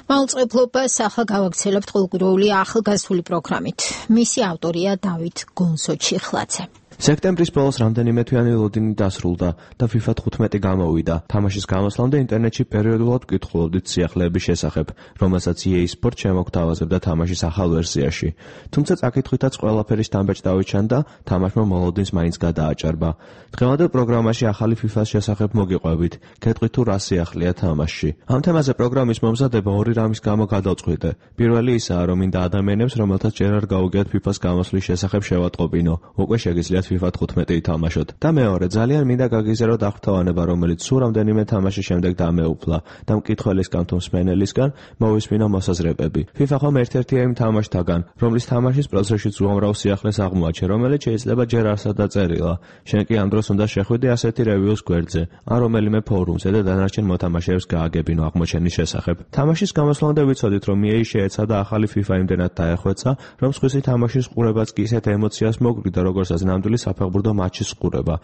მაუწყებლობას ახლა გავაგრძელებთ ყოლგუროული ახალგაზრდული პროგრამით. მისი ავტორია დავით გონსოჩიხლაძე. სექტემბრის ბოლოს რამდენიმე თვიანი ლოდინი დასრულდა და FIFA 15 გამოვიდა. თამაშის გამოსვლამდე ინტერნეტში პერიოდულად ვკითხულობდით სიახლეების შესახებ, რომელსაც EA Sports შემოგთავაზებდა თამაშის ახალ ვერსიაში. თუმცა წაკითხვითაც ყველაფერი სტამბეჭდავით ჩანდა, თამაშმა მოლოდინს მაინც გადააჭარბა. დღევანდელ პროგრამაში ახალი FIFA-ს შესახებ მოგიყვებით, გეტყვით თუ რა სიახლეა თამაშში. ამ თემაზე პროგრამის მომზადება ორი რამის გამო გადავწყვიტე. პირველი ისაა, რომ მინდა ადამიანებს, რომელთაც ჯერ არ გაუგიათ FIFA-ს გამოსვლის შესახებ შევატყობინო. უკვე შეგიძლიათ FIFA 15 ითამაშოთ. და მეორე, ძალიან მინდა გაგიზიაროთ აღფრთოვანება, რომელიც სულ რამდენიმე თამაშის შემდეგ დამეუფლა და მკითხველისგან თუ მსმენელისგან მოვისმინო მოსაზრებები. FIFA ხომ ერთ-ერთია იმ თამაშთაგან, რომლის თამაშის პროცესშიც უამრავ სიახლეს აღმოაჩენ, რომელიც შეიძლება ჯერ არსად დაწერილა. შენ კი ამ დროს უნდა შეხვიდე ასეთი რევიუს გვერდზე, ან რომელიმე ფორუმზე და დანარჩენ მოთამაშეებს გააგებინო აღმოჩენის შესახებ. თამაშის გამოსვლამდე ვიცოდით, რომ EA შეეცადა ახალი FIFA იმდენად დაეხვეცა, რომ სხვისი თამაშის ყურებაც კი ისეთ ემოციას მოგვიდა, როგორცაც ნამდვილი საფეხბურთო მატჩის ყურება.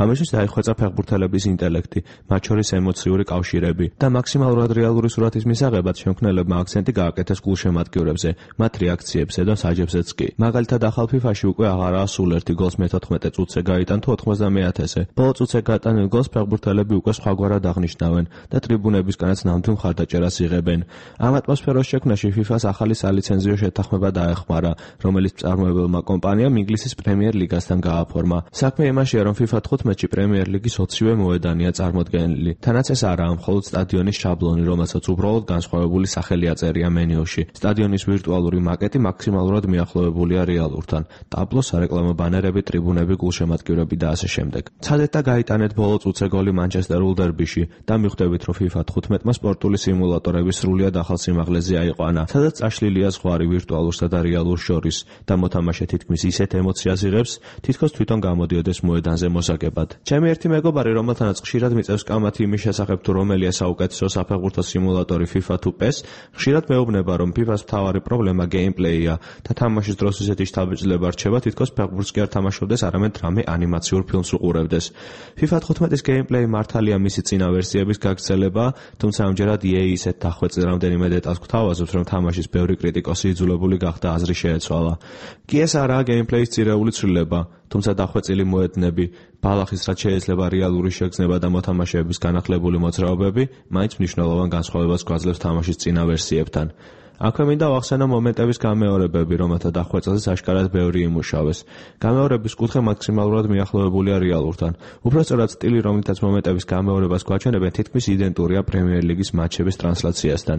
ამისთვის დაიხვეწა ფეხბურთელების ინტელექტი, მათ შორის ემოციური კავშირები და მაქსიმალურად რეალური სურათის მისაღებად შემქმნელებმა აქცენტი გააკეთეს გულშემატკივრებზე, მათ რეაქციებზე და საჯებზეც კი. მაგალითად, ახალ FIFA-ში უკვე აღარაა სულ ერთი გოლს მე-14 წუთზე გაიტან თუ 90-ათასე. ბოლო წუთზე გატანილ გოლს ფეხბურთელები უკვე სხვაგვარად აღნიშნავენ და ტრიბუნებისგანაც ნამდვილ მხარდაჭერას იღებენ. ამ ატმოსფეროს შექმნაში FIFA-ს ახალი სალიცენზიო შეთანხმება დაეხმარა, რომელიც მწარმოებელმა კომპანიამ ინგლისის პრემიერ ლიგასთან გააფორმა. საქმე იმაშია, რომ FIFA 15-ში პრემიერ ლიგის 20-ვე მოედანია წარმოდგენილი. თანაც ეს არაა მხოლოდ სტადიონის შაბლონი, რომელსაც უბრალოდ განსხვავებული სახელი აწერია მენიუში. სტადიონის ვირტუალური მაკეტი მაქსიმალურად მიახლოვებულია რეალურთან. ტაბლო, სარეკლამო ბანერები, ტრიბუნები, გულშემატკივრები და ასე შემდეგ. ცადეთ და გაიტანეთ ბოლო წუთზე გოლი მანჩესტერულ დერბიში და მიხვდებით, რომ FIFA 15-მა სპორტული სიმულატორები სრულიად ახალ სიმაღლეზე აიყვანა, სადაც წაშლილია ზღვარი ვირტუალურსა და რეალურ შორის და მოთამაშე თითქმის ისეთ ემოციას იღებს, თითქოს თვითონ გამოდიოდეს მოედანზე მოსაგებად. ჩემი ერთი მეგობარი, რომელთანაც ხშირად მიწევს კამათი იმის შესახებ, თუ რომელია საუკეთესო საფეხბურთო სიმულატორი FIFA თუ PES, ხშირად მეუბნება, რომ FIFA-ს მთავარი პრობლემა გეიმპლეია და თამაშის დროს ისეთი შთაბეჭდილება რჩება, თითქოს ფეხბურთს კი არ თამაშობდეს, არამედ რამე ანიმაციურ ფილმს უყურებდეს. FIFA 15-ის გეიმპლეი მართალია მისი წინა ვერსიების გაგრძელება, თუმცა ამჯერად EA ისეთ დახვეწილ რამდენიმე დეტალს გვთავაზობს, რომ თამაშის ბევრი კრიტიკოსი იძულებული გახდა აზრი შეეცვალა. კი ეს არაა გეიმპლეის ძირეული ცვლილება, თუმცა დახვეწილი მოედნები, ბალახის რაც შეიძლება რეალური შეგრძნება და მოთამაშეების განახლებული მოძრაობები, მაინც მნიშვნელოვან განსხვავებას გვაძლევს თამაშის წინა ვერსიებთან. აქვე მინდა ვახსენო მომენტების გამეორებები, რომელთა დახვეწილზეც აშკარად ბევრი იმუშავეს. გამეორების კუთხე მაქსიმალურად მიახლოვებულია რეალურთან. უბრალოდ სტილი, რომლითაც მომენტების გამეორებას გვაჩვენებენ, თითქმის იდენტურია პრემიერ ლიგის მატჩების ტრანსლაციასთან.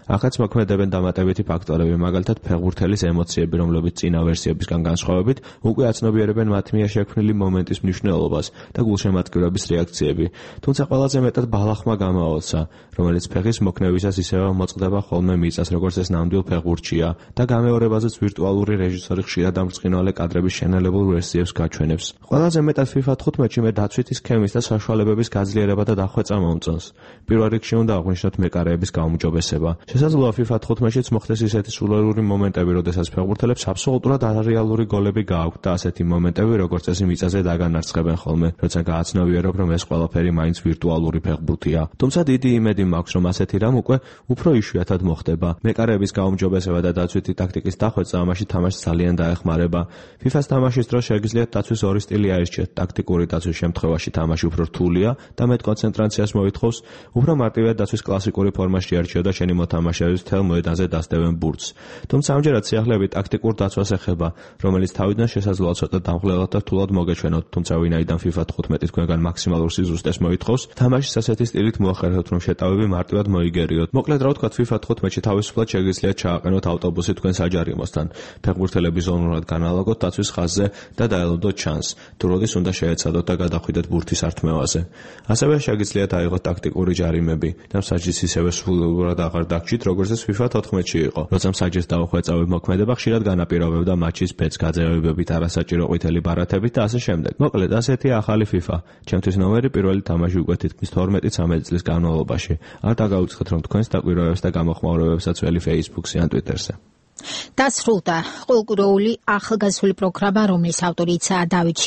ახაც მოქმედებენ დამატებითი ფაქტორები, მაგალითად ფეხბურთელის ემოციები, რომლებიც წინა ვერსიებისგან განსხვავებით, უკვე აცნობიერებენ მათ მიერ შექმნილი მომენტის მნიშვნელობას და გულშემატკივრების რეაქციები. თუმცა ყველაზე მეტად ბალახმა გამაოცა, რომელიც ფეხის მოქნევისას ისევე მოწყდება ხოლმე მიწას, როგორც ნამდვილ ფეხბურთშია და გამეორებაზეც ვირტუალური რეჟისორი ხშირად ამბრწყინვალე კადრების შენელებულ ვერსიებს გაჩვენებს. ყველაზე მეტად FIFA 15-ში მე დაცვითი სქემის და საშუალებების გაძლიერება და დახვეწა მომწონს. პირველ რიგში უნდა აღვნიშნოთ მეკარეების გაუმჯობესება. შესაძლოა FIFA 15-შიც მოხდეს ისეთი სულელური მომენტები, როდესაც ფეხბურთელებს აბსოლუტურად არარეალური გოლები გააქვთ და ასეთი მომენტები, როგორც წესი მიწაზე დაგანარცხებენ ხოლმე, როცა გააცნობიერებ, რომ ეს ყველაფერი მაინც ვირტუალური ფეხბურთია. თუმცა დიდი იმედი მაქვს, რომ ასეთი რამ უკვე უფრო იშვიათად მოხდება. მეკარეების გაუმჯობესება და დაცვითი ტაქტიკის დახვეწა ამაში თამაშს ძალიან დაეხმარება. FIFA-ს თამაშის დროს შეგიძლიათ დაცვის ორი სტილი აირჩიეთ. ტაქტიკური დაცვის შემთხვევაში თამაში უფრო რთულია და მეტ კონცენტრაციას მოითხოვს, უფრო მარტივია დაცვის კლასიკური ფორმაში არჩიო და შენი მოთამაშეების მთელ მოედანზე დასდევენ ბურთს. თუმცა ამჯერად სიახლეები ტაქტიკურ დაცვას ეხება, რომელიც თავიდან შესაძლოა ცოტა დამღლელად და რთულად მოგეჩვენოთ, თუმცა ვინაიდან FIFA 15 თქვენგან მაქსიმალურ სიზუსტეს მოითხოვს, თამაშის ასეთი სტილით მოახერხებთ, რომ შეტავები მარტივად მოიგერიოთ. მოკლედ რა ვთქვათ, FIFA 15-ში თავისუფლად შეგიძლიათ ჩააყენოთ ავტობუსი თქვენ საჯარიმოსთან, ფეხბურთელები ზონურად განალაგოთ დაცვის ხაზზე და დაელოდოთ ჩანს, თუ როდის უნდა შეეცადოთ და გადახვიდეთ ბურთის ართმევაზე. ასევე შეგიძლიათ აიღოთ ტაქტიკური ჯარიმები და მსაჯის ისევე სრულიად აღარ დაგჭირთ, როგორც ეს FIFA 14-ში იყო. როცა მსაჯის დაუხვეწავებ მოქმედება ხშირად განაპირობებდა მატჩის ბედს გაძევებებით, არასაჭირო ყვითელი ბარათებით და ასე შემდეგ. მოკლედ, ასეთია ახალი FIFA. ჩემთვის ნომერი პირველი თამაში უკვე თითქმის 12-13 წლის განმავლობაში. არ დაგაუცხეთ, რომ თქვენს დაკვირვებებს და გამოხმაურებებსაც ველი Facebook-ზე ან Twitter-ზე. დასრულდა ყოლგუროული ახალგაზრდული პროგრამა, რომლის ავტორიცაა დავით